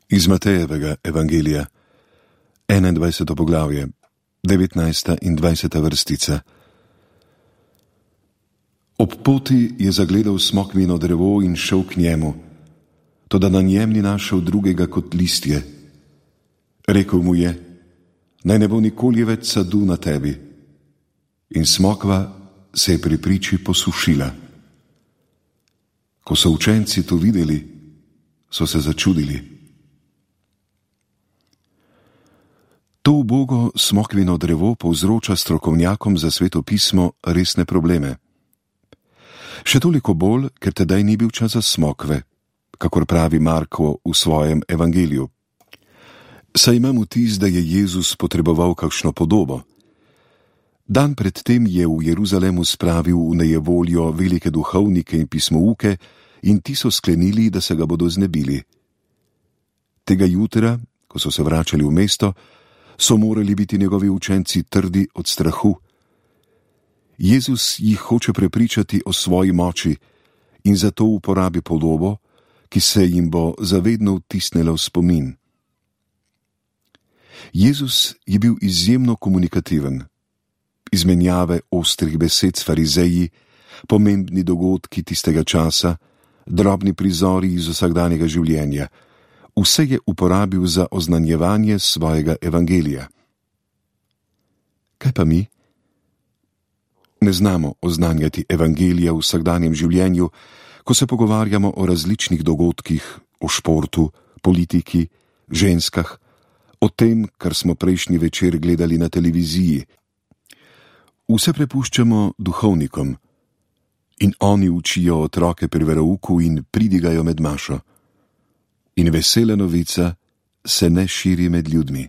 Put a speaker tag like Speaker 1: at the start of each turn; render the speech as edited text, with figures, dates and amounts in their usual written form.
Speaker 1: Iz Matejevega evangelija, 21. poglavje, 19. in 20. vrstica. Ob poti je zagledal smokvino drevo in šel k njemu, toda na njem ni našel drugega kot listje. Rekel mu je, naj ne bo nikoli več sadu na tebi. In smokva se je pri priči posušila. Ko so učenci to videli, so se začudili. To ubogo smokvino drevo povzroča strokovnjakom za Sveto pismo resne probleme. Še toliko bolj, ker tedaj ni bil čas za smokve, kakor pravi Marko v svojem evangeliju. Saj imam vtis, da je Jezus potreboval kakšno podobo. Dan predtem je v Jeruzalemu spravil v nejevoljo velike duhovnike in pismouke in ti so sklenili, da se ga bodo znebili. Tega jutra, ko so se vračali v mesto, so morali biti njegovi učenci trdi od strahu. Jezus jih hoče prepričati o svoji moči in zato uporabi podobo, ki se jim bo zavedno vtisnila v spomin. Jezus je bil izjemno komunikativen. Izmenjave ostrih besed s farizeji, pomembni dogodki tistega časa, drobni prizori iz vsakdanjega življenja, vse je uporabil za oznanjevanje svojega evangelija. Kaj pa mi? Ne znamo oznanjati evangelija v vsakdanjem življenju, ko se pogovarjamo o različnih dogodkih, o športu, politiki, ženskah, o tem, kar smo prejšnji večer gledali na televiziji. Vse prepuščamo duhovnikom in oni učijo otroke pri verouku in pridigajo med mašo. In vesela novica se ne širi med ljudmi.